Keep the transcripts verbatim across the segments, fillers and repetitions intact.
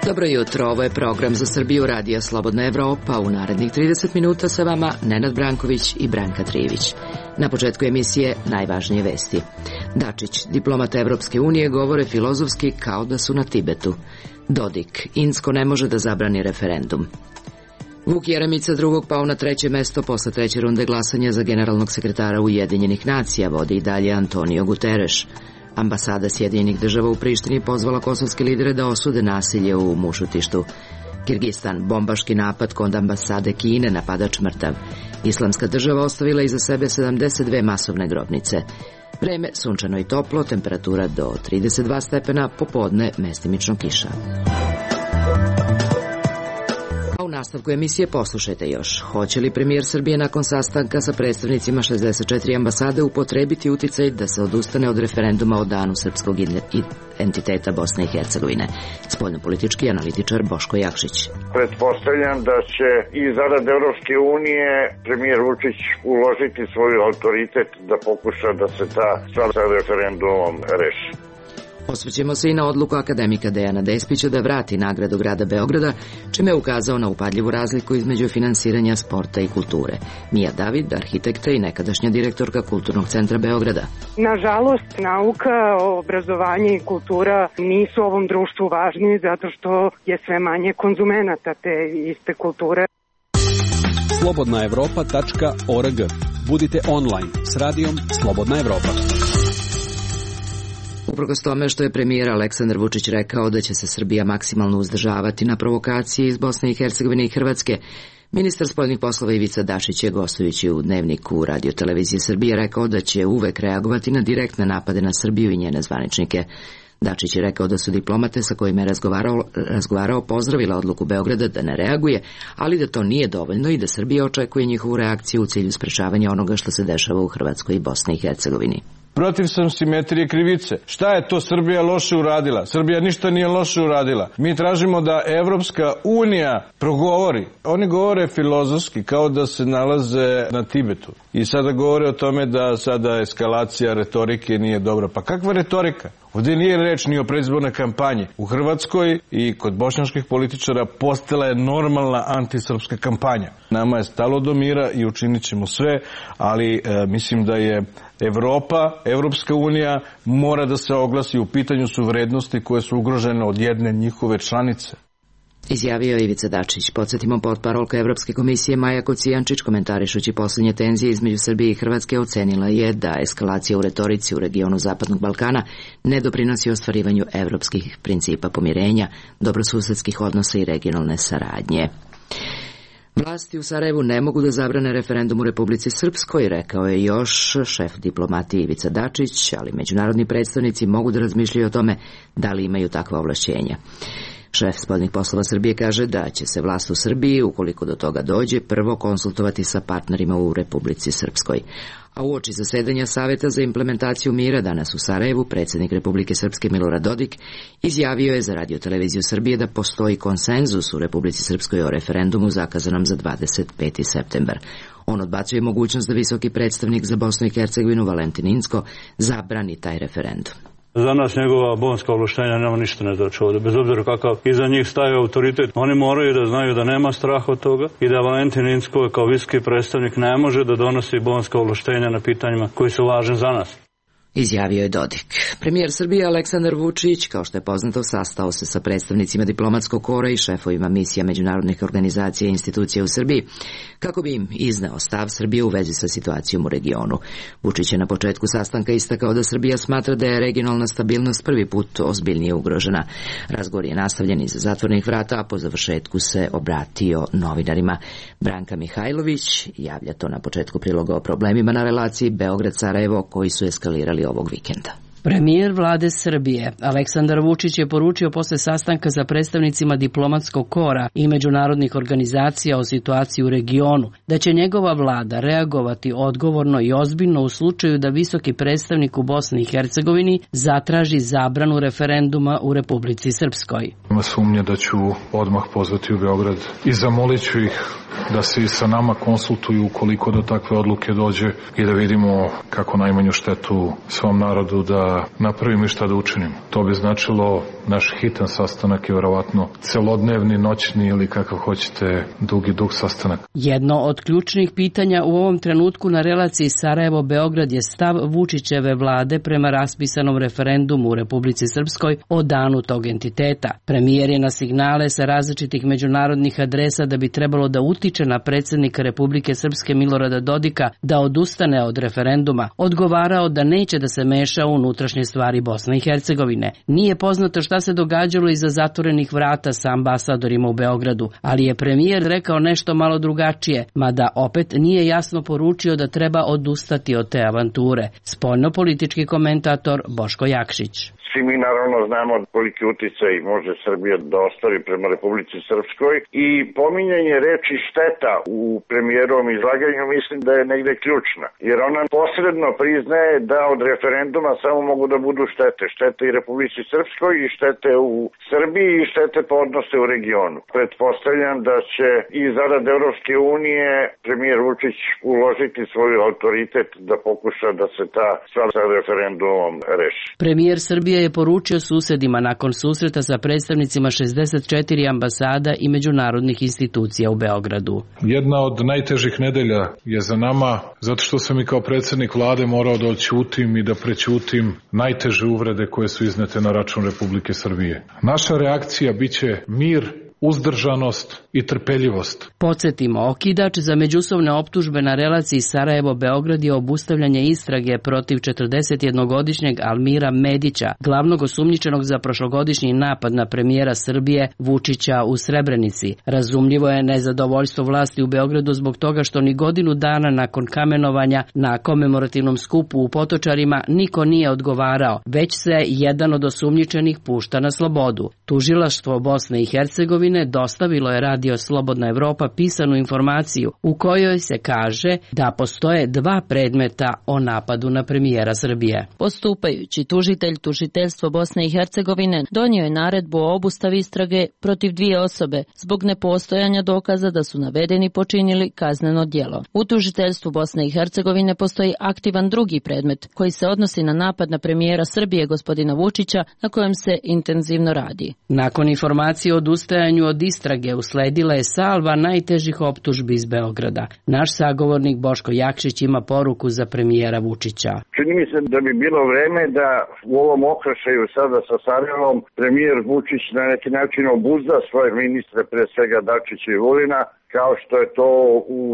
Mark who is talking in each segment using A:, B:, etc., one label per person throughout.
A: Dobro jutro, ovo je program za Srbiju Radija Slobodna Evropa. U narednih trideset minuta sa vama Nenad Branković i Branka Trivić. Na početku emisije najvažnije vesti. Dačić, diplomata Evropske unije, govore filozofski kao da su na Tibetu. Dodik, Insko ne može da zabrani referendum. Vuk Jeremić drugog pao na treće mesto posle treće runde glasanja za generalnog sekretara Ujedinjenih nacija, vodi i dalje Antonio Guterres. Ambasada Sjedinjenih država u Prištini pozvala kosovske lidere da osude nasilje u Mušutištu. Kirgistan, bombaški napad kod ambasade Kine, napadač mrtav. Islamska država ostavila iza sebe sedamdeset dve masovne grobnice. Vreme sunčano i toplo, temperatura do trideset dva stepena, popodne mestimično kiša. U nastavku emisije poslušajte još. Hoće li premijer Srbije nakon sastanka sa predstavnicima šezdeset četiri ambasade upotrebiti uticaj da se odustane od referenduma o danu srpskog entiteta Bosne i Hercegovine? Spoljnopolitički analitičar Boško Jakšić.
B: Pretpostavljam da će i zarad Evropske unije premijer Vučić uložiti svoj autoritet da pokuša da se ta stvar sa referendumom reši.
A: Osvrćemo se i na odluku akademika Dejana Despića da vrati nagradu grada Beograda, čime je ukazao na upadljivu razliku između finansiranja sporta i kulture. Mija David, arhitekta i nekadašnja direktorka Kulturnog centra Beograda.
C: Nažalost, nauka, obrazovanje i kultura nisu ovom društvu važni zato što je sve manje konzumenata te iste kulture.
D: slobodna evropa tačka org. Budite online s radijom Slobodna Evropa.
A: Uprkos tome što je premijer Aleksandar Vučić rekao da će se Srbija maksimalno uzdržavati na provokacije iz Bosne i Hercegovine i Hrvatske, ministar spoljnih poslova Ivica Dačić je, gostujući u Dnevniku Radio televizije Srbije, rekao da će uvek reagovati na direktne napade na Srbiju i njene zvaničnike. Dačić je rekao da su diplomate sa kojima je razgovarao, razgovarao pozdravila odluku Beograda da ne reaguje, ali da to nije dovoljno i da Srbija očekuje njihovu reakciju u cilju sprečavanja onoga što se dešava u Hrvatskoj i Bosni i Hercegovini.
E: Protiv sam simetrije krivice. Šta je to Srbija loše uradila? Srbija ništa nije loše uradila. Mi tražimo da Evropska unija progovori. Oni govore filozofski kao da se nalaze na Tibetu. I sada govore o tome da sada eskalacija retorike nije dobra. Pa kakva retorika? Ovdje nije reč ni o predizbornoj kampanji. U Hrvatskoj i kod bošnjačkih političara postala je normalna antisrpska kampanja. Nama je stalo do mira i učinit ćemo sve, ali e, mislim da je Evropa, Evropska unija mora da se oglasi u pitanju su vrednosti koje su ugrožene od jedne njihove članice.
A: Izjavio je Ivica Dačić. Podsjetimo, potparolka Evropske komisije Maja Kocijančić, komentarišući posljednje tenzije između Srbije i Hrvatske, ocenila je da eskalacija u retorici u regionu Zapadnog Balkana ne doprinosi ostvarivanju evropskih principa pomirenja, dobrosusedskih odnosa i regionalne saradnje. Vlasti u Sarajevu ne mogu da zabrane referendum u Republici Srpskoj, rekao je još šef diplomatije Ivica Dačić, ali međunarodni predstavnici mogu da razmišljaju o tome da li imaju takva ovlašćenja. Šef spoljnih poslova Srbije kaže da će se vlast u Srbiji, ukoliko do toga dođe, prvo konsultovati sa partnerima u Republici Srpskoj. A uoči zasedanja Saveta za implementaciju mira danas u Sarajevu, predsjednik Republike Srpske Milorad Dodik izjavio je za Radio televiziju Srbije da postoji konsenzus u Republici Srpskoj o referendumu zakazanom za dvadeset peti septembar. On odbacuje mogućnost da visoki predstavnik za Bosnu i Hercegovinu Valentin Inzko zabrani taj referendum.
F: Za nas njegova bonska ovlaštenja nema ništa ne znači ovdje, bez obzira kakav iza njih staje autoritet. Oni moraju da znaju da nema straha od toga i da Valentin Inzko kao visoki predstavnik ne može da donosi bonska ovlaštenja na pitanjima koji su važni za nas.
A: Izjavio je Dodik. Premijer Srbije Aleksandar Vučić, kao što je poznato, sastao se sa predstavnicima diplomatskog kora i šefovima misija međunarodnih organizacija i institucija u Srbiji, kako bi im izneo stav Srbije u vezi sa situacijom u regionu. Vučić je na početku sastanka istakao da Srbija smatra da je regionalna stabilnost prvi put ozbiljnije ugrožena. Razgovor je nastavljen iza zatvorenih vrata, a po završetku se obratio novinarima. Branka Mihajlović javlja to na početku priloga o problemima na relaciji Beograd-Sarajevo koji su eskalirali ovog vikenda.
G: Premijer vlade Srbije Aleksandar Vučić je poručio posle sastanka sa predstavnicima diplomatskog kora i međunarodnih organizacija o situaciji u regionu da će njegova vlada reagovati odgovorno i ozbiljno u slučaju da visoki predstavnik u Bosni i Hercegovini zatraži zabranu referenduma u Republici Srpskoj.
H: Ima sumnje da ću odmah pozvati u Beograd i zamolit ću ih da se i sa nama konsultuju ukoliko do takve odluke dođe i da vidimo kako najmanju štetu svom narodu da napravimo i šta da učinimo. To bi značilo naš hitan sastanak je verovatno celodnevni, noćni ili kakav hoćete dugi dug sastanak.
G: Jedno od ključnih pitanja u ovom trenutku na relaciji Sarajevo-Beograd je stav Vučićeve vlade prema raspisanom referendumu u Republici Srpskoj o danu tog entiteta. Premijer je na signale sa različitih međunarodnih adresa da bi trebalo da utiče na predsjednika Republike Srpske Milorada Dodika da odustane od referenduma, odgovarao da neće da se meša u unutrašnje stvari Bosne i Hercegovine. Nije poznato šta se događalo iza zatvorenih vrata sa ambasadorima u Beogradu, ali je premijer rekao nešto malo drugačije, mada opet nije jasno poručio da treba odustati od te avanture. Spoljno-politički komentator Boško Jakšić.
B: Svi mi naravno znamo koliki uticaj može Srbija da ostvari prema Republici Srpskoj i pominjanje reči šteta u premijerovom izlaganju mislim da je negde ključna, jer ona posredno priznaje da od referenduma samo mogu da budu štete. Štete i Republici Srpskoj i štete u Srbiji i štete po odnose u regionu. Pretpostavljam da će i zarad Evropske unije premijer Vučić uložiti svoj autoritet da pokuša da se ta stvar sa referendumom reši.
G: Premijer Srbije je poručio susedima nakon susreta sa predstavnicima šezdeset četiri ambasada i međunarodnih institucija u Beogradu.
H: Jedna od najtežih nedelja je za nama, zato što sam i kao predsjednik vlade morao da odćutim i da prećutim najteže uvrede koje su iznete na račun Republike Srbije. Naša reakcija biće mir, uzdržanost i trpeljivost.
G: Podsjetimo, okidač za međusobne optužbe na relaciji Sarajevo-Beograd je obustavljanje istrage protiv četrdesetjednogodišnjeg Almira Medića, glavnog osumnjičenog za prošlogodišnji napad na premijera Srbije Vučića u Srebrenici. Razumljivo je nezadovoljstvo vlasti u Beogradu zbog toga što ni godinu dana nakon kamenovanja na komemorativnom skupu u Potočarima niko nije odgovarao, već se jedan od osumnjičenih pušta na slobodu. Tužilaštvo Bosne i Hercegovine dostavilo je Radio Slobodna Evropa pisanu informaciju u kojoj se kaže da postoje dva predmeta o napadu na premijera Srbije.
I: Postupajući tužitelj tužiteljstvo Bosne i Hercegovine donio je naredbu o obustavi istrage protiv dvije osobe zbog nepostojanja dokaza da su navedeni počinili kazneno djelo. U tužiteljstvu Bosne i Hercegovine postoji aktivan drugi predmet koji se odnosi na napad na premijera Srbije gospodina Vučića na kojem se intenzivno radi.
G: Nakon informacije o odustajanju od istrage usledila je salva najtežih optužbi iz Beograda. Naš sagovornik Boško Jakšić ima poruku za premijera Vučića.
B: Čini mi se da bi bilo vreme da u ovom okršaju sada sa Sarajevom premijer Vučić na neki način obuzda svoje ministre, pre svega Dačića i Vulina, kao što je to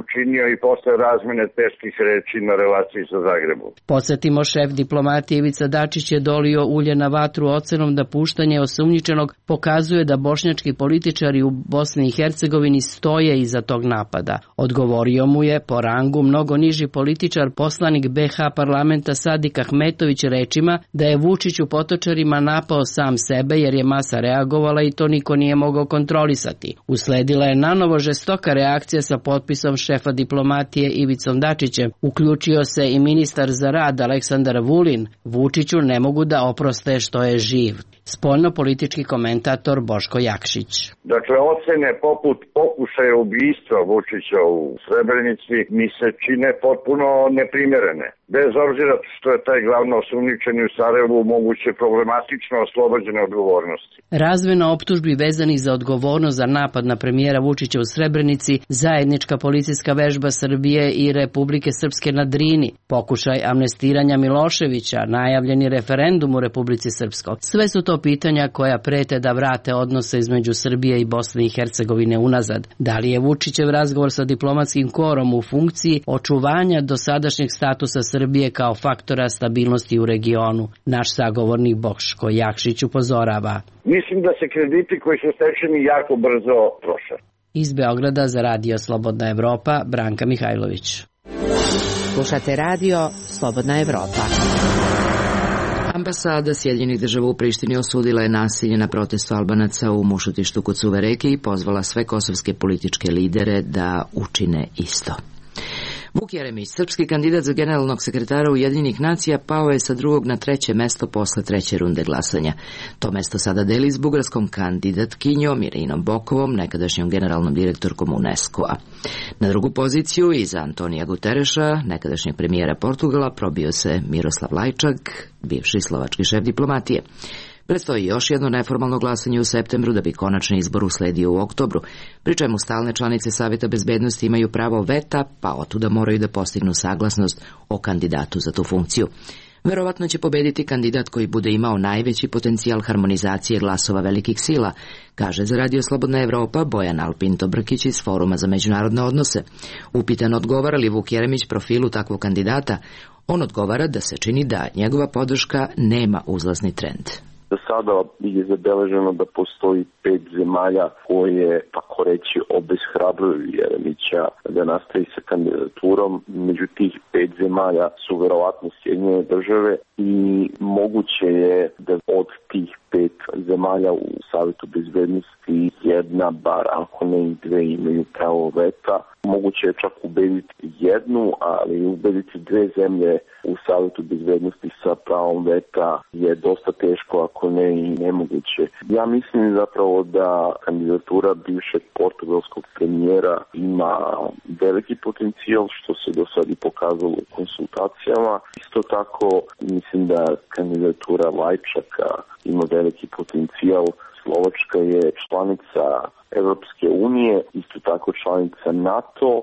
B: učinio i posle razmene teških reči na relaciji sa Zagrebom.
G: Podsjetimo, šef diplomatije Ivica Dačić je dolio ulje na vatru ocenom da puštanje osumnjičenog pokazuje da bošnjački političari u Bosni i Hercegovini stoje iza tog napada. Odgovorio mu je po rangu mnogo niži političar, poslanik be ha parlamenta Sadik Ahmetović rečima da je Vučić u Potočarima napao sam sebe jer je masa reagovala i to niko nije mogao kontrolisati. Usledila je nanovo žestoka reakcija sa potpisom šefa diplomatije Ivicom Dačićem. Uključio se i ministar za rad Aleksandar Vulin. Vučiću ne mogu da oproste što je živ. Spoljno-politički komentator Boško Jakšić.
B: Dakle, ocene poput pokušaja ubistva Vučića u Srebrenici mi se čine potpuno neprimjerene. Bez obzira što je taj glavno osumnjičeni u Sarajevu moguće problematično oslobođene odgovornosti.
G: Razmena optužbi vezanih za odgovornost za napad na premijera Vučića u Srebrenici, zajednička policijska vežba Srbije i Republike Srpske na Drini, pokušaj amnestiranja Miloševića, najavljeni referendum u Republici Srpskoj. Sve su to pitanja koja prete da vrate odnose između Srbije i Bosne i Hercegovine unazad. Da li je Vučićev razgovor sa diplomatskim korom u funkciji očuvanja dosadašnjeg statusa Srbije kao faktora stabilnosti u regionu? Naš sagovornik Boško Jakšić upozorava.
B: Mislim da se krediti koji su stečeni jako brzo troše.
G: Iz Beograda za Radio Slobodna Evropa, Branka Mihajlović.
A: Slušate Radio Slobodna Evropa. Ambasada Sjedinjenih država u Prištini osudila je nasilje na protestu Albanaca u Mušotištu kod Suve reke i pozvala sve kosovske političke lidere da učine isto. Vuk Jeremić, srpski kandidat za generalnog sekretara Ujedinjenih nacija, pao je sa drugog na treće mesto posle treće runde glasanja. To mesto sada deli s bugarskom kandidatkinjom Irinom Bokovom, nekadašnjom generalnom direktorkom UNESCO-a. Na drugu poziciju iza Antonija Gutereša, nekadašnjeg premijera Portugala, probio se Miroslav Lajčak, bivši slovački šef diplomatije. Predstoji još jedno neformalno glasanje u septembru da bi konačni izbor usledio u oktobru, pri čemu stalne članice Saveta bezbednosti imaju pravo veta, pa otuda moraju da postignu saglasnost o kandidatu za tu funkciju. Verovatno će pobediti kandidat koji bude imao najveći potencijal harmonizacije glasova velikih sila, kaže za Radio Slobodna Evropa Bojan Alpinto Brkić iz Foruma za međunarodne odnose. Upitan odgovara li Vuk Jeremić profilu takvog kandidata, on odgovara da se čini da njegova podrška nema uzlazni trend.
J: Do sada je zabeleženo da postoji pet zemalja koje, tako reći, obeshrabruju Jeremića da nastavi sa kandidaturom. Među tih pet zemalja su verovatno Sjedinjene države i moguće je da od tih pet zemalja u Savetu bezbednosti jedna, bar ako ne i dve, imaju pravo veta. Moguće je čak ubediti jednu, ali ubediti dve zemlje u Savetu bezbednosti sa pravom veta je dosta teško, ako ne i nemoguće. Ja mislim zapravo da kandidatura bivšeg portugalskog premijera ima veliki potencijal, što se do sad i pokazalo u konsultacijama. Isto tako mislim da kandidatura Lajčaka ima veliki potencijal. Slovačka je članica Evropske unije, isto tako članica NATO.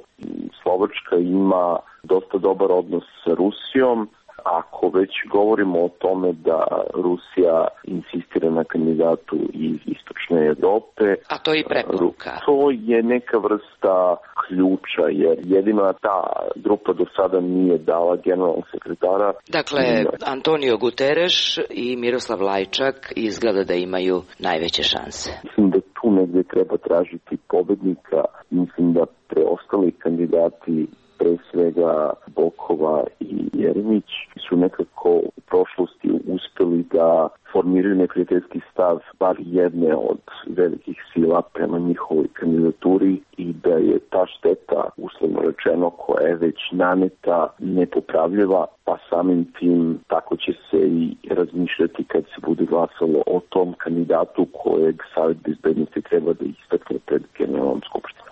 J: Slovačka ima dosta dobar odnos sa Rusijom. Ako već govorimo o tome da Rusija insistira na kandidatu iz istočne Evrope,
A: a to je i preporuka.
J: To je neka vrsta ključa, jer jedina ta grupa do sada nije dala generalnog sekretara.
A: Dakle, Antonio Guterres i Miroslav Lajčak izgleda da imaju najveće šanse.
J: Mislim da tu negdje treba tražiti pobednika. Mislim da preostali kandidati, pre svega Bokova i Jeremić, su nekako u prošlosti uspeli da formiraju neprijateljski stav bar jedne od velikih sila prema njihovoj kandidaturi i da je ta šteta, uslovno rečeno, koja je već naneta, nepopravljiva, pa samim tim tako će se i razmišljati kad se bude glasalo o tom kandidatu kojeg Savet bezbednosti treba da istakne pred generalnom skupštinom.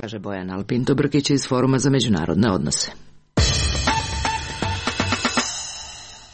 A: Kaže Bojan Alpinto Brkić iz Foruma za međunarodne odnose.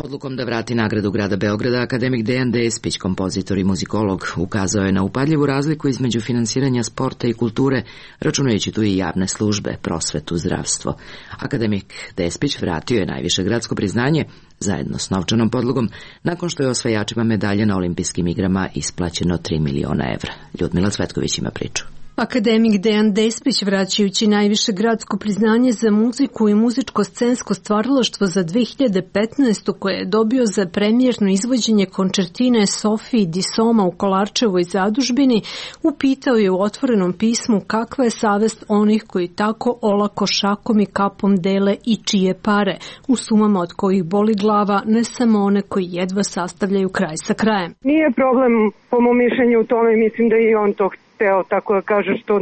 A: Odlukom da vrati nagradu grada Beograda, akademik Dejan Despić, kompozitor i muzikolog, ukazao je na upadljivu razliku između finansiranja sporta i kulture, računajući tu i javne službe, prosvetu, zdravstvo. Akademik Despić vratio je najviše gradsko priznanje, zajedno s novčanom podlogom, nakon što je osvajačima medalje na olimpijskim igrama isplaćeno tri miliona evra. Ljudmila Cvetković ima priču.
K: Akademik Dejan Despić, vraćajući najviše gradsko priznanje za muziku i muzičko-scensko stvaralaštvo za dve hiljade petnaestu koje je dobio za premijerno izvođenje končertine Sofiji di Soma u Kolarčevoj zadužbini, upitao je u otvorenom pismu kakva je savest onih koji tako olako šakom i kapom dele i čije pare, u sumama od kojih boli glava ne samo one koji jedva sastavljaju kraj sa krajem.
C: Nije problem, po mom mišljenju, u tome, mislim da i on to hteo, tako da kaže, što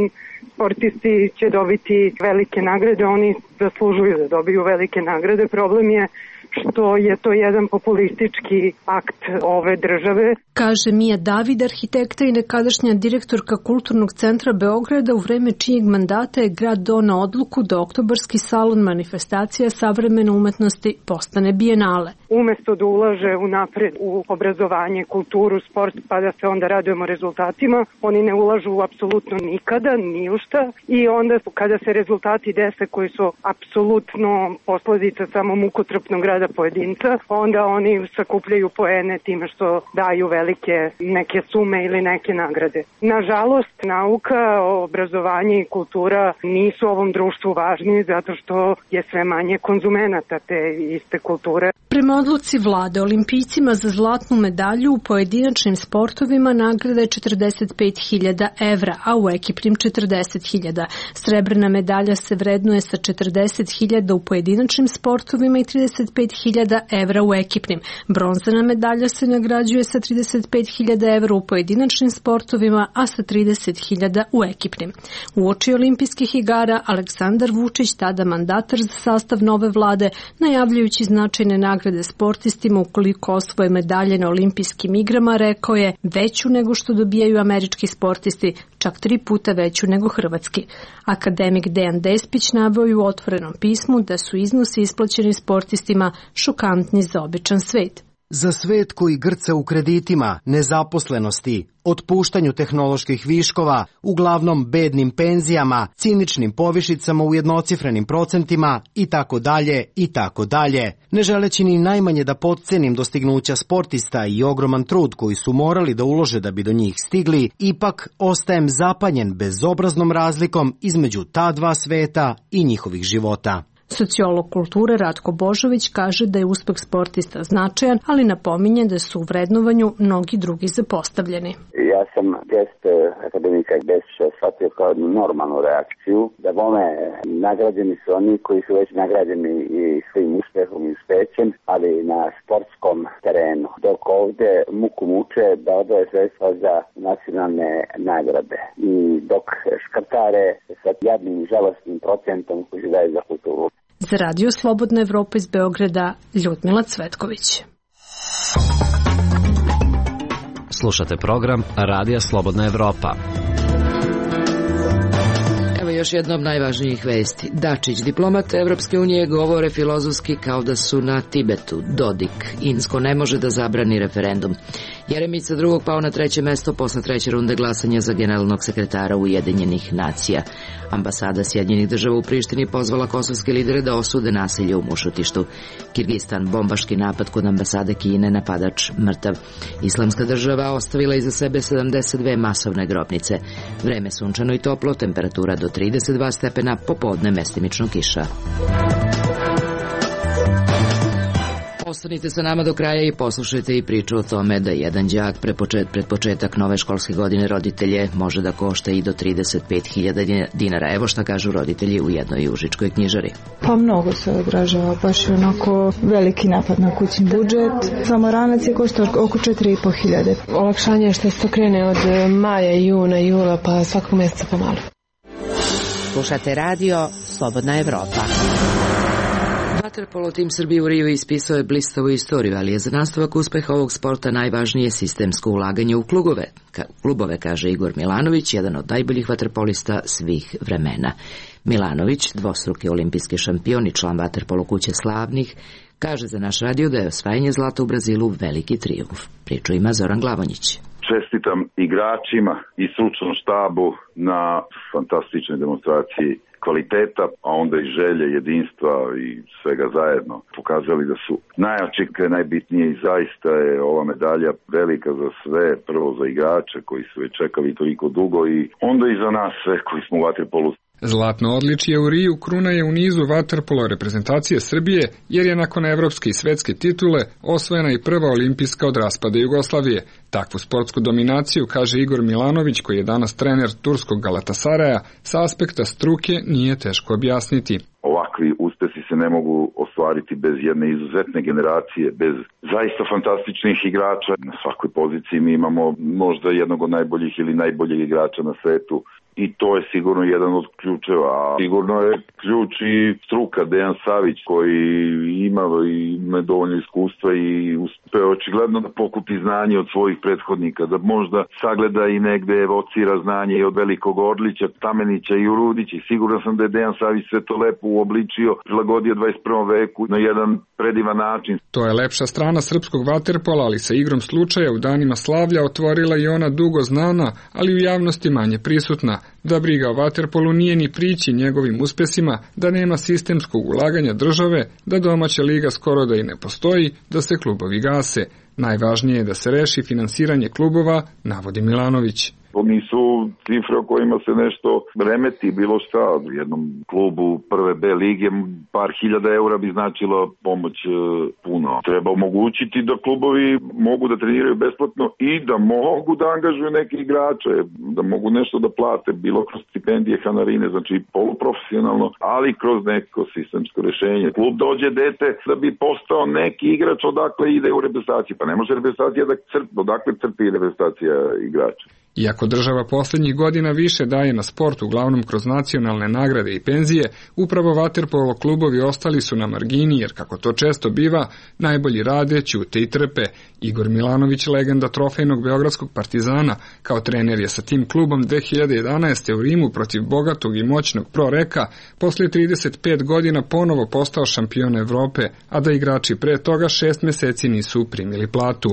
C: sportisti će dobiti velike nagrade, oni zaslužuju da dobiju velike nagrade. Problem je što je to jedan populistički akt ove države.
K: Kaže Mija David, arhitekta i nekadašnja direktorka Kulturnog centra Beograda, u vreme čijeg mandata je grad doneo odluku da oktobarski salon manifestacija savremene umetnosti postane bijenale.
C: Umesto da ulaže u napred u obrazovanje, kulturu, sport, pa da se onda radujemo rezultatima, oni ne ulažu apsolutno nikada, ni u šta, i onda kada se rezultati dese koji su apsolutno posledica samo mukotrpnog rada pojedinca, onda oni sakupljaju poene time što daju velike neke sume ili neke nagrade. Nažalost, nauka, obrazovanje i kultura nisu ovom društvu važni zato što je sve manje konzumenata te iste kulture.
K: Prema odluci vlade, olimpijcima za zlatnu medalju u pojedinačnim sportovima nagrada je četrdeset pet hiljada evra, a u ekipnim četrdeset hiljada. Srebrna medalja se vrednuje sa četrdeset hiljada u pojedinačnim sportovima i trideset pet hiljada evra u ekipnim. Bronzana medalja se nagrađuje sa trideset pet hiljada evra u pojedinačnim sportovima, a sa trideset hiljada u ekipnim. Uoči olimpijskih igara, Aleksandar Vučić, tada mandatar za sastav nove vlade, najavljujući značajne nagrade sportistima ukoliko osvoje medalje na olimpijskim igrama, rekao je veću nego što dobijaju američki sportisti, čak tri puta veću nego hrvatski. Akademik Dejan Despić naveo je u otvorenom pismu da su iznosi isplaćeni sportistima šokantni za običan svet.
L: Za svet koji grca u kreditima, nezaposlenosti, otpuštanju tehnoloških viškova, uglavnom bednim penzijama, ciničnim povišicama u jednocifrenim procentima i tako dalje i tako dalje. Ne želeći ni najmanje da potcenim dostignuća sportista i ogroman trud koji su morali da ulože da bi do njih stigli, ipak ostajem zapanjen bezobraznom razlikom između ta dva sveta i njihovih života.
K: Sociolog kulture Ratko Božović kaže da je uspeh sportista značajan, ali napominje da su u vrednovanju mnogi drugi zapostavljeni.
M: Ja sam gest akademika Despića shvatio kao normalnu reakciju, da bome nagrađeni su oni koji su već nagrađeni i svojim uspehom i uspećem, ali na sportskom terenu. Dok ovde muku muče da odvoje sredstva za nacionalne nagrade i dok škrtare sa jadnim i žalostnim procentom koji daje za kulturu.
K: Za Radio Slobodna Evropa iz Beograda, Ljudmila Cvetković.
N: Slušate program Radija Slobodna Evropa.
A: Evo još jedna od najvažnijih vesti. Dačić, diplomat Evropske unije, govore filozofski kao da su na Tibetu. Dodik, Insko ne može da zabrani referendum. Jeremić sa drugog pao na treće mesto posle treće runde glasanja za generalnog sekretara Ujedinjenih nacija. Ambasada Sjedinjenih država u Prištini pozvala kosovske lidere da osude nasilje u Mušotištu. Kirgistan, bombaški napad kod ambasade Kine, napadač mrtav. Islamska država ostavila iza sebe sedamdeset dve masovne grobnice. Vreme sunčano i toplo, temperatura do trideset dva stepena, popodne mestimično kiša. Ostanite sa nama do kraja i poslušajte i priču o tome da jedan đak pred početak nove školske godine roditelje može da košta i do trideset pet hiljada dinara. Evo šta kažu roditelji u jednoj užičkoj knjižari.
O: Pa mnogo se odražava, baš je onako veliki napad na kućni budžet. Samo ranac je košta oko četiri i po hiljade. Olakšanje je što se to krene od maja, juna, jula, pa svakog mjeseca pomalo.
G: Slušate radio Slobodna Evropa.
A: Vaterpolo tim Srbije u Riju ispisao je blistavu istoriju, ali je za nastavak uspeha ovog sporta najvažnije sistemsko ulaganje u klubove, Ka, klubove, kaže Igor Milanović, jedan od najboljih vaterpolista svih vremena. Milanović, dvostruki olimpijski šampion i član Vaterpolo kuće slavnih, kaže za naš radio da je osvajanje zlata u Brazilu veliki trijumf. Priču ima Zoran Glavonjić.
P: Čestitam igračima i stručnom štabu na fantastičnoj demonstraciji kvaliteta, a onda i želje, jedinstva i svega zajedno pokazali da su najjači, najbitnije i zaista je ova medalja velika za sve, prvo za igrače koji su već čekali toliko dugo i onda i za nas sve koji smo u vaterpolu.
Q: Zlatno odličje u Riju kruna je u nizu vaterpolo reprezentacije Srbije, jer je nakon evropske i svetske titule osvojena i prva olimpijska od raspada Jugoslavije. Takvu sportsku dominaciju, kaže Igor Milanović, koji je danas trener turskog Galatasaraja, sa aspekta struke nije teško objasniti.
P: Ovakvi uspesi se ne mogu ostvariti bez jedne izuzetne generacije, bez zaista fantastičnih igrača. Na svakoj poziciji mi imamo možda jednog od najboljih ili najboljeg igrača na svetu. I to je sigurno jedan od ključeva, a sigurno je ključ i struka Dejan Savić koji ima, ima dovoljno iskustva i uspeo očigledno da pokupi znanje od svojih prethodnika, da možda sagleda i negde evocira znanje i od Velikog Orlića, Tamenića i Urudića i siguran sam da je Dejan Savić sve to lepo uobličio, prilagodio dvadeset prvom veku na jedan predivan način.
Q: To je lepša strana srpskog vaterpola, ali sa igrom slučaja u danima slavlja otvorila i ona dugo znana, ali u javnosti manje prisutna. Da briga o vaterpolu nije ni prići njegovim uspesima, da nema sistemskog ulaganja države, da domaća liga skoro da i ne postoji, da se klubovi gase. Najvažnije je da se reši finansiranje klubova, navodi Milanović.
P: To nisu cifre o kojima se nešto remeti, bilo šta. U jednom klubu prve B lige par hiljada eura bi značilo pomoć puno. Treba omogućiti da klubovi mogu da treniraju besplatno i da mogu da angažuju neke igrače, da mogu nešto da plate, bilo kroz stipendije, hanarine, znači poluprofesionalno, ali kroz neko sistemsko rešenje. Klub dođe dete da bi postao neki igrač, odakle ide u reprezentaciju. Pa ne može reprezentacija da crpi, odakle crpi reprezentacija igrača.
Q: Iako država poslednjih godina više daje na sport, uglavnom kroz nacionalne nagrade i penzije, upravo vaterpolo klubovi ostali su na margini, jer kako to često biva, najbolji rade, ćute i trpe. Igor Milanović, legenda trofejnog beogradskog Partizana, kao trener je sa tim klubom dve hiljade jedanaeste u Rimu protiv bogatog i moćnog Proreka, posle trideset pet godina ponovo postao šampion Evrope, a da igrači pre toga šest meseci nisu primili platu.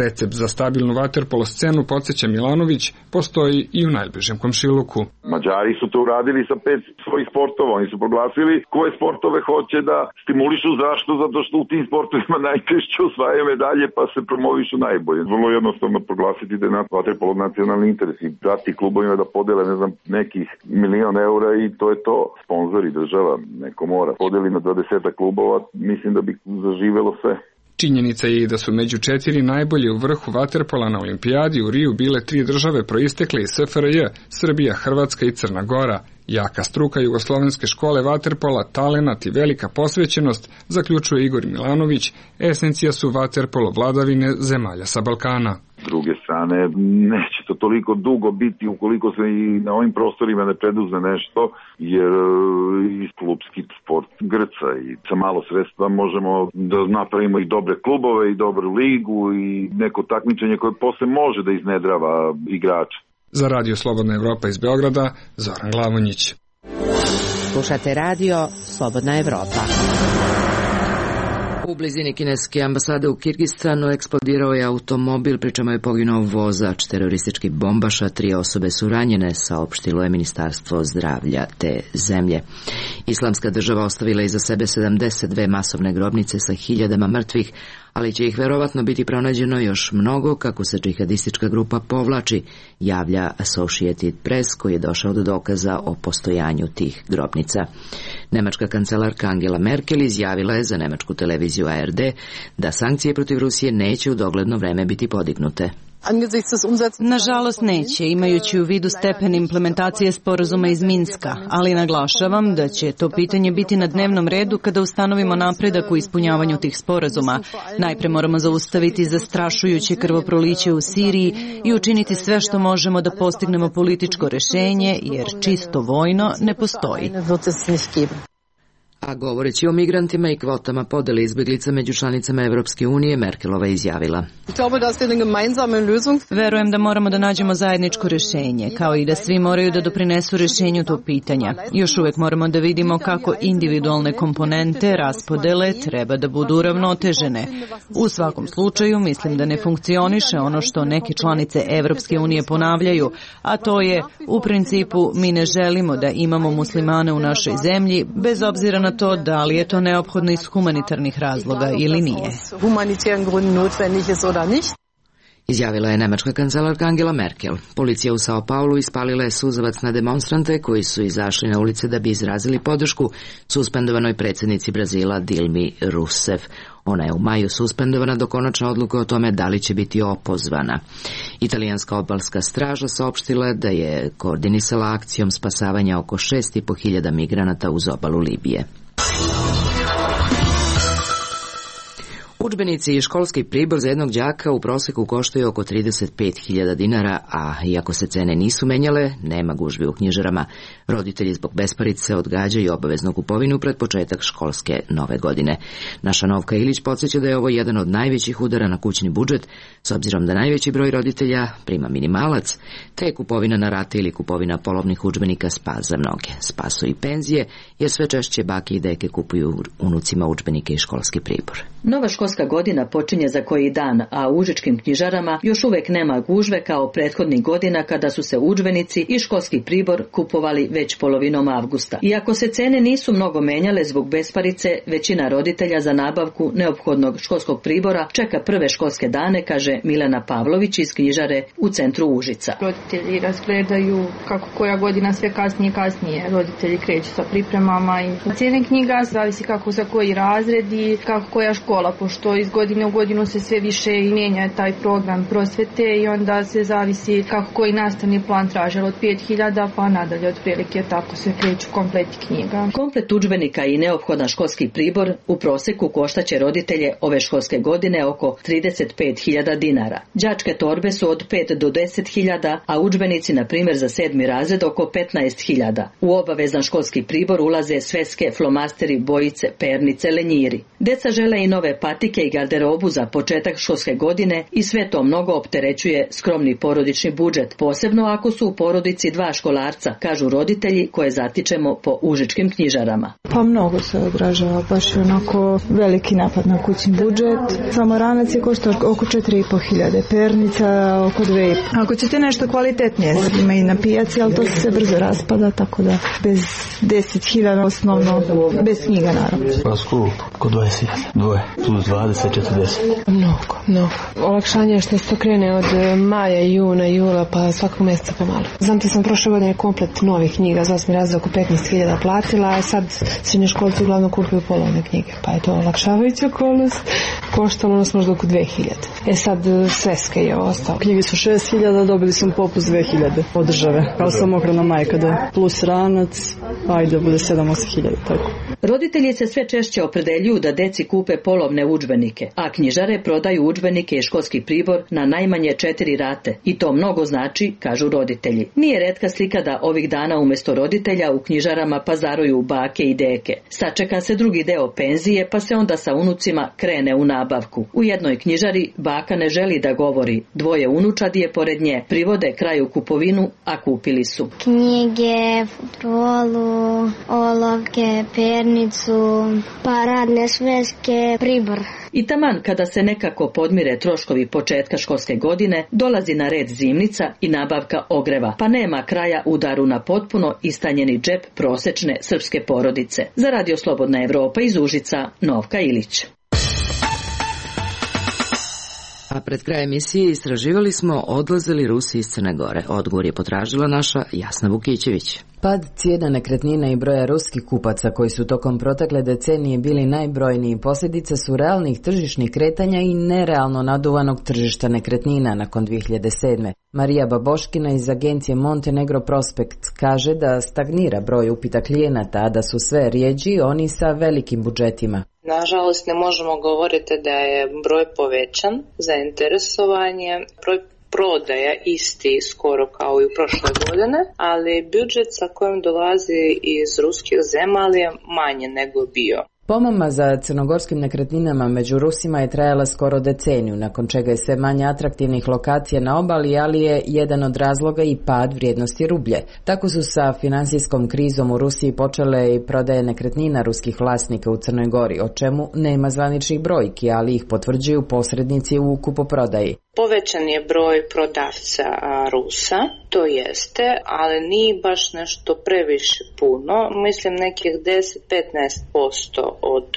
Q: Recept za stabilnu vaterpolo scenu, podsjeća Milanović, postoji i u najbližem komšiluku.
P: Mađari su to uradili sa pet svojih sportova. Oni su proglasili koje sportove hoće da stimulišu. Zašto? Zato što u tim sportovima najčešće osvajaju medalje pa se promovišu najbolje. Vrlo jednostavno proglasiti da je vaterpolo nacionalni interes i dati klubovima da podele, ne znam, nekih milion eura i to je to. Sponzori, država, neko mora. Podeli na dvadeset klubova, mislim da bi zaživelo sve.
Q: Činjenica je i da su među četiri najbolje u vrhu vaterpola na olimpijadi u Riju bile tri države proistekle iz S F R J, Srbija, Hrvatska i Crna Gora. Jaka struka jugoslovenske škole vaterpola, talenat i velika posvećenost, zaključuje Igor Milanović, esencija su vaterpolo vladavine zemalja sa Balkana.
P: S druge strane, neće to toliko dugo biti ukoliko se i na ovim prostorima ne preduzme nešto, jer i klubski sport grca i sa malo sredstva možemo da napravimo i dobre klubove i dobru ligu i neko takmičenje koje posle može da iznedrava igrača.
Q: Za Radio Slobodna Evropa iz Beograda, Zoran Glavonjić.
A: Slušate Radio Slobodna Evropa. U blizini kineske ambasade u Kirgistanu eksplodirao je automobil, pri čemu je poginuo vozač terorističkih bombaša. Tri osobe su ranjene, saopštilo je Ministarstvo zdravlja te zemlje. Islamska država ostavila iza sebe sedamdeset dve masovne grobnice sa hiljadama mrtvih, ali će ih verovatno biti pronađeno još mnogo kako se džihadistička grupa povlači, javlja Associated Press, koji je došao do dokaza o postojanju tih grobnica. Nemačka kancelarka Angela Merkel izjavila je za nemačku televiziju A R D da sankcije protiv Rusije neće u dogledno vreme biti podignute.
R: Nažalost neće, imajući u vidu stepen implementacije sporazuma iz Minska, ali naglašavam da će to pitanje biti na dnevnom redu kada ustanovimo napredak u ispunjavanju tih sporazuma. Najpre moramo zaustaviti zastrašujuće krvoproliće u Siriji i učiniti sve što možemo da postignemo političko rešenje, jer čisto vojno ne postoji.
A: A govoreći o migrantima i kvotama podele izbjeglica među članicama Evropske unije, Merkelova izjavila:
R: Verujem da moramo da nađemo zajedničko rešenje, kao i da svi moraju da doprinesu rešenju tog pitanja. Još uvek moramo da vidimo kako individualne komponente raspodele treba da budu uravnotežene. U svakom slučaju, mislim da ne funkcioniše ono što neke članice Evropske unije ponavljaju, a to je, u principu, mi ne želimo da imamo muslimane u našoj zemlji, bez obzira na to da li je to neophodno iz humanitarnih razloga ili nije.
A: Izjavila je nemačka kancelarka Angela Merkel. Policija u Sao Paulu ispalila je suzavac na demonstrante koji su izašli na ulice da bi izrazili podršku suspendovanoj predsjednici Brazila Dilmi Rousseff. Ona je u maju suspendovana do konačne odluke o tome da li će biti opozvana. Italijanska obalska straža saopštila da je koordinisala akcijom spasavanja oko šest i po hiljada migranata uz obalu Libije. Udžbenici i školski pribor za jednog đaka u proseku koštaju oko trideset pet hiljada dinara, a iako se cene nisu menjale, nema gužvi u knjižarama. Roditelji zbog besparice odgađaju obaveznu kupovinu pred početak školske nove godine. Naša Novka Ilić podsjeća da je ovo jedan od najvećih udara na kućni budžet, s obzirom da najveći broj roditelja prima minimalac, te je kupovina na rate ili kupovina polovnih udžbenika spas za mnoge. Spasu i penzije, jer sve češće bake i deke kupuju unucima udžbenike i školski pribor.
S: Nova školska godina počinje za koji dan, a u užičkim knjižarama još uvek nema gužve kao prethodnih godina kada su se udžbenici i školski pribor kupovali već polovinom avgusta. Iako se cene nisu mnogo menjale zbog besparice, većina roditelja za nabavku neophodnog školskog pribora čeka prve školske dane, kaže Milena Pavlović iz knjižare u centru Užica.
T: Roditelji razgledaju kako koja godina sve kasnije i kasnije. Roditelji kreću sa pripremama i cijene knjiga zavisi kako za koji razred i kako koja škola, pošto iz godine u godinu se sve više i mijenja taj program prosvete i onda se zavisi kako koji nastavni plan traže od pet hiljada pa nadalje otprilike, tako se kreću kompleti knjiga.
S: Komplet udžbenika i neophodan školski pribor u proseku koštaće roditelje ove školske godine oko trideset pet hiljada dinara. Đačke torbe su od pet do deset hiljada, a udžbenici na primjer za sedmi razred oko petnaest hiljada. U obavezan školski pribor ulaze sveske, flomasteri, bojice, pernice, lenjiri. Deca žele i nove patike i garderobu za početak školske godine i sve to mnogo opterećuje skromni porodični budžet, posebno ako su u porodici dva školarca, kažu roditelji koje zatičemo po užičkim knjižarama.
O: Pa mnogo se odražava, baš je onako veliki napad na kućni budžet. Samo ranac je košta oko četiri i po hiljade, pernica oko dve i po. Ako ćete nešto kvalitetnije, ima i na pijaci, ali to se brzo raspada, tako da bez deset hiljada osnovno, bez knjiga naravno.
U: Pa skup, oko dvadeset hiljada, dvoje, plus dvadeset, četrdeset.
O: Mnogo, mnogo. Olakšanje je što se to krene od maja, juna, jula, pa svakog mjeseca pomalo. Znam da sam prošle godine komplet novih knjiga za osmi razred oko petnaest hiljada platila, a sad srednjoškolci uglavnom kupuju polovne knjige, pa je to olakšavajuća okolnost. Koštalo nas možda oko dve hiljade. E sad sveske je ostalo.
V: Knjige su šest hiljada, dobili smo popust dve hiljade od države. Kao samohrana majka da plus ranac, ajde bude sedam osam hiljada, tako.
S: Roditelji se sve češće opredeljuju da deci kupe polovne udžbenike, a knjižare prodaju udžbenike i školski pribor na najmanje četiri rate. I to mnogo znači, kažu roditelji. Nije retka slika da ovih dana umjesto roditelja u knjižarama pazaruju bake i deke. Sačeka se drugi deo penzije, pa se onda sa unucima krene u nabavku. U jednoj knjižari baka ne želi da govori. Dvoje unučadi je pored nje. Privode kraju kupovinu, a kupili su
W: knjige, futrolu, olovke, pernicu, pa radne sveske, pribor.
S: I taman kada se nekako podmire troškovi početka školske godine, dolazi na red zimnica i nabavka ogreva, pa nema kraja udaru na potpuno istanjeni džep prosečne srpske porodice. Za Radio Slobodna Evropa iz Užica, Novka Ilić.
A: A pred kraj emisije istraživali smo odlaze li Rusi iz Crne Gore. Odgovor je potražila naša Jasna Vukićević.
X: Pad cijena nekretnina i broja ruskih kupaca koji su tokom protekle decenije bili najbrojniji posljedice su realnih tržišnih kretanja i nerealno naduvanog tržišta nekretnina nakon dvije hiljade sedme. Marija Baboškina iz agencije Montenegro Prospekt kaže da stagnira broj upita klijenata, a da su sve rijeđi oni sa velikim budžetima.
Y: Nažalost, ne možemo govoriti da je broj povećan, zainteresovanje, broj prodaja isti skoro kao i u prošle godine, ali budžet sa kojim dolazi iz ruskih zemalja je manje nego bio.
X: Pomama za crnogorskim nekretninama među Rusima je trajala skoro deceniju, nakon čega je sve manje atraktivnih lokacija na obali, ali je jedan od razloga i pad vrijednosti rublje. Tako su sa finansijskom krizom u Rusiji počele i prodaje nekretnina ruskih vlasnika u Crnoj Gori, o čemu nema zvaničnih brojki, ali ih potvrđuju posrednici u kupoprodaji.
Y: Povećan je broj prodavca Rusa, to jeste, ali nije baš nešto previše puno, mislim nekih deset do petnaest posto od,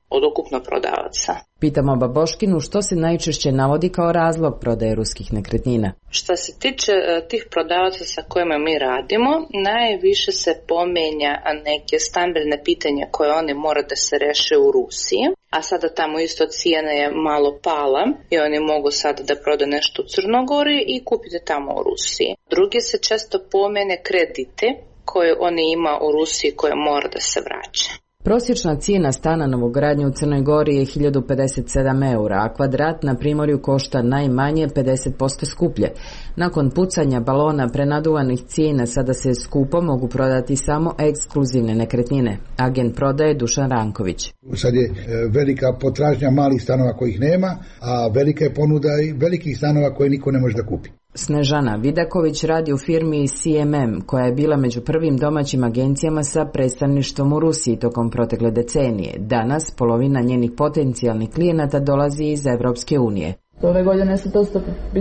Y: od ukupno prodavaca.
X: Pitamo Baboškinu što se najčešće navodi kao razlog prodaje ruskih nekretnina.
Y: Što se tiče tih prodavaca sa kojima mi radimo, najviše se pomenja neke stambene pitanja koje oni mora da se reše u Rusiji, a sada tamo isto cijena je malo pala i oni mogu sada da prodaju nešto u Crnogori i kupiti tamo u Rusiji. Drugi se često pomene kredite koje oni ima u Rusiji koje mora da se vraća.
X: Prosječna cijena stana novogradnje u Crnoj Gori je hiljadu pedeset sedam eura, a kvadrat na Primorju košta najmanje pedeset posto skuplje. Nakon pucanja balona prenaduvanih cijena sada se skupo mogu prodati samo ekskluzivne nekretnine. Agent prodaje Dušan Ranković.
Z: Sad je velika potražnja malih stanova kojih nema, a velika je ponuda i velikih stanova koje niko ne može da kupi.
X: Snežana Vidaković radi u firmi C M M, koja je bila među prvim domaćim agencijama sa predstavništvom u Rusiji tokom protekle decenije. Danas polovina njenih potencijalnih klijenata dolazi iz Evropske unije.
D: Ove godine se dosta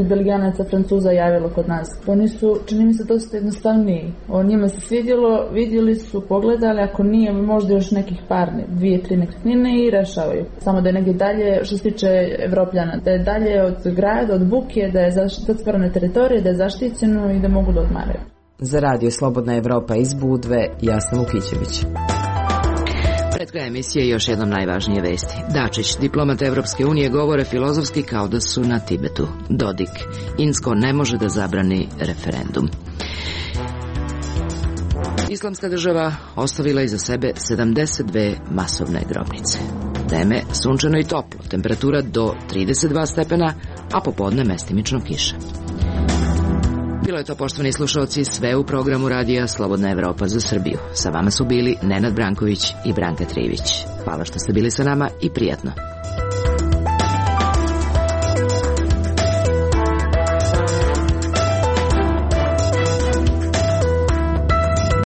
D: Belgijanaca, Francuza javilo kod nas. Oni su, čini mi se, dosta jednostavniji. O njima se svidjelo, vidjeli su, pogledali, ako nije, možda još nekih par, dvije, tri nekretnine i rešavaju. Samo da je negdje dalje, što se tiče Evropljana, da je dalje od grada, od buke, da je zatvorene teritorije, da je zaštićeno i da mogu da odmaraju.
X: Za Radio Slobodna Evropa iz Budve, Jasna Vukićević.
A: Pred krajem emisije još jednom najvažnije vesti. Dačić, diplomat Evropske unije, govore filozofski kao da su na Tibetu. Dodik, Insko ne može da zabrani referendum. Islamska država ostavila iza sebe sedamdeset dve masovne grobnice. Vreme sunčano i toplo, temperatura do trideset dva stepena, a popodne mestimično kiša. Bilo je to, poštovani slušalci, sve u programu radija Slobodna Evropa za Srbiju. Sa vama su bili Nenad Branković i Branka Trivić. Hvala što ste bili sa nama i prijatno.